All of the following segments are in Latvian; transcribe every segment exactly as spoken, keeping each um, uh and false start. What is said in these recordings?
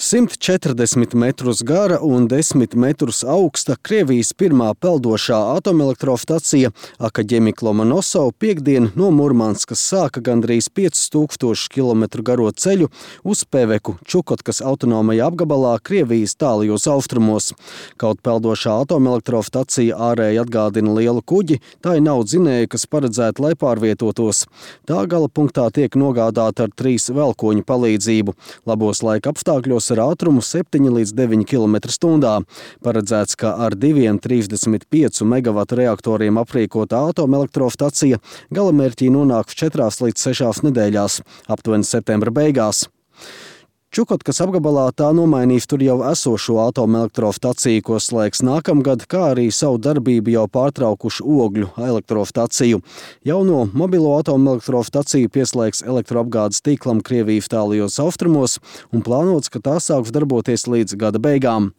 simt četrdesmit metrus gara un desmit metrus augsta Krievijas pirmā peldošā atomelektrostacija Akaģemika Lomonosova piektdien no Murmanskas sāka gandrīz piecus tūkstošus kilometru garo ceļu uz Peveku, Čukotkas autonomajā apgabalā Krievijas tālajos austrumos. Kaut peldošā atomelektrostacija ārēji atgādina lielu kuģi, tai nav dzinēju, kas paredzēti, lai pārvietotos. Tā gala punktā tiek nogādāta ar trīs velkoņu palīdzību. Labos laika apstākļos ar ātrumu septiņi līdz deviņi kilometri stundā. Paredzēts, ka ar diviem trīsdesmit piecu megavatu reaktoriem aprīkota atomelektrostacija galamērķī nonāks četrās līdz sešās nedēļās, aptuveni septembra beigās. Čukotkas apgabalā tā nomainīs tur jau esošo atomelektrostaciju, ko slēgs nākamgad, kā arī savu darbību jau pārtraukušu ogļu elektrostaciju. Jauno mobilo atomelektrostaciju pieslēgs elektroapgādes tīklam Krievijas tālajos austrumos un plānots, ka tā sāks darboties līdz gada beigām.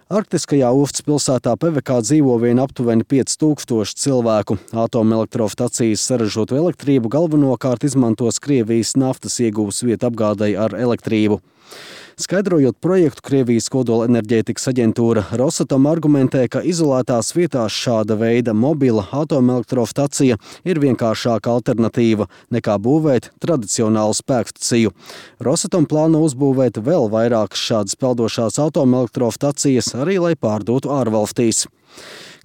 Arktiskajā ostas pilsētā Pevekā dzīvo vien aptuveni pieci tūkstoši cilvēku. Atomelektrostacijas saražotu elektrību galvenokārt izmantos Krievijas naftas iegūves vietu apgādei ar elektrību. Skaidrojot projektu, Krievijas kodolenerģētikas aģentūra Rosatom argumentē, ka izolētās vietās šāda veida mobila atomelektrostacija ir vienkāršāka alternatīva nekā būvēt tradicionālu spēkstaciju. Rosatom plāno uzbūvēt vēl vairākas šādas peldošās atomelektrostacijas, arī lai pārdotu ārvalstīs.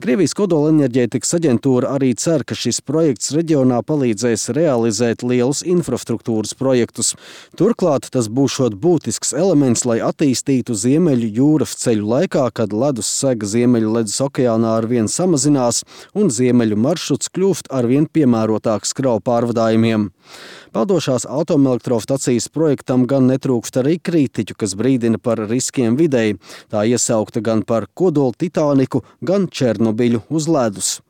Krievijas kodolenerģētikas aģentūra arī cer, ka šis projekts reģionā palīdzēs realizēt lielus infrastruktūras projektus. Turklāt tas būšot būtisks elements, lai attīstītu Ziemeļu jūras ceļu laikā, kad ledus sega Ziemeļu ledus okeānā arvien samazinās un Ziemeļu maršruts kļūst arvien piemērotāks kravu pārvadājumiem. Peldošās atomelektrostacijas projektam gan netrūkst arī kritiķu, kas brīdina par riskiem videi. Tā iesaukta gan par kodolu Titāniku, gan Černobiļu uz ledus.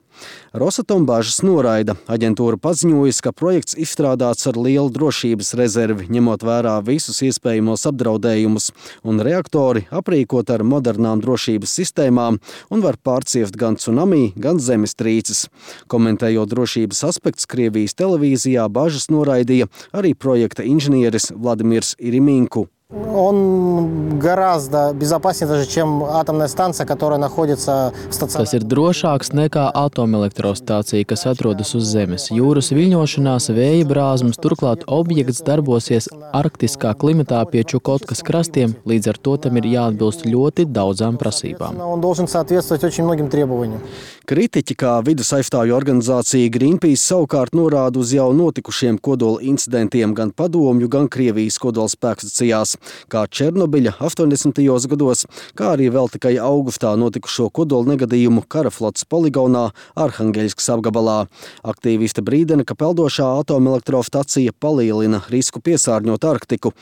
Rosatom bažas noraida. Aģentūra paziņojusi, ka projekts izstrādāts ar lielu drošības rezervi, ņemot vērā visus iespējamos apdraudējumus, un reaktori aprīkot ar modernām drošības sistēmām un var pārciest gan tsunami, gan zemestrīces. Komentējot drošības aspektus Krievijas televīzijā, bažas noraidīja arī projekta inženieris Vladimirs Iriminku. Он гораздо безопаснее даже, чем атомная станция, которая находится в стационаре. Tas ir drošāks nekā atomelektrostacija, kas atrodas uz Zemes. Jūras viļņošanās, vēja brāzmas, turklāt objekts darbosies arktiskā klimatā pie Čukotkas krastiem, līdz ar to tam ir jāatbilst ļoti daudzām prasībām. Он должен соответствовать очень многим требованиям. Kritiķi, kā vides aizstāvju organizācija Greenpeace, savukārt norāda uz jau notikušiem kodola incidentiem gan Padomju, gan Krievijas kodola spēkstacijās, kā Černobiļa astoņdesmitajos gados, kā arī vēl tikai augustā notikušo kodola negadījumu Karaflotes poligonā Arhangeļskas apgabalā. Aktīvisti brīdina, ka peldošā atomelektrostacija palielina risku piesārņot Arktiku.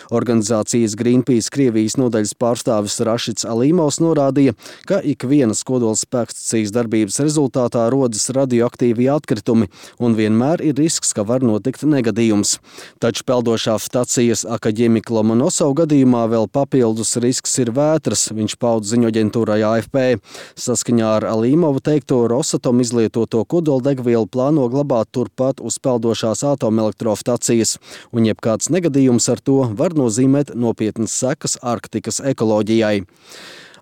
Organizācijas Greenpeace Krievijas nodaļas pārstāvis Rašits Alīmovs norādīja, ka ikvienas kodola spēkstacijas darbības rezultātā rodas radioaktīvi atkritumi un vienmēr ir risks, ka var notikt negadījums. Taču peldošās stacijas Akaģemika Lomonosova gadījumā vēl papildus risks ir vētras, viņš pauda ziņoaģentūrai A F P. Saskaņā ar Alīmovu teikto, Rosatom izlietoto kodoldegvielu plāno glabāt turpat uz peldošās atomelektrostacijas, un jebkāds negadījums ar to var nozīmēt nopietnas sekas Arktikas ekoloģijai.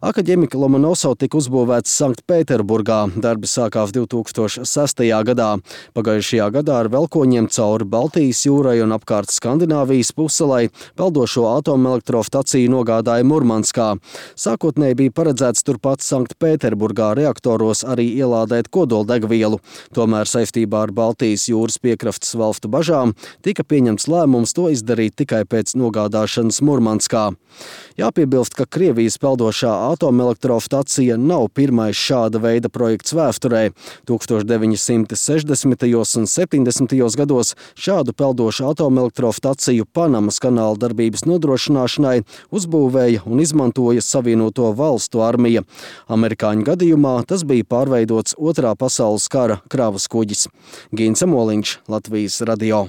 Akaģemika Lomonosova tika uzbūvēts Sanktpēterburgā. Darbi sākās divi tūkstoši sestajā gadā. Pagājušajā gadā ar velkoņiem cauri Baltijas jūrai un apkārt Skandināvijas puselai peldošo atomelektrostaciju nogādāja Murmanskā. Sākotnēji bija paredzēts turpat Sanktpēterburgā reaktoros arī ielādēt kodoldegvielu. Tomēr saistībā ar Baltijas jūras piekrastes valstu bažām tika pieņemts lēmums to izdarīt tikai pēc nogādāšanas Murmanskā. Jāpiebilst, ka Krievijas peldošā atomelektrostacija nav pirmais šāda veida projekts vēsturē. tūkstoš deviņi simti sešdesmitajos un septiņdesmitajos gados šādu peldošu atomelektrostaciju Panamas kanāla darbības nodrošināšanai uzbūvēja un izmantoja Savienoto valstu armija. Amerikāņu gadījumā tas bija pārveidots Otrā pasaules kara kravas kuģis. Gins Amoliņš, Latvijas radio.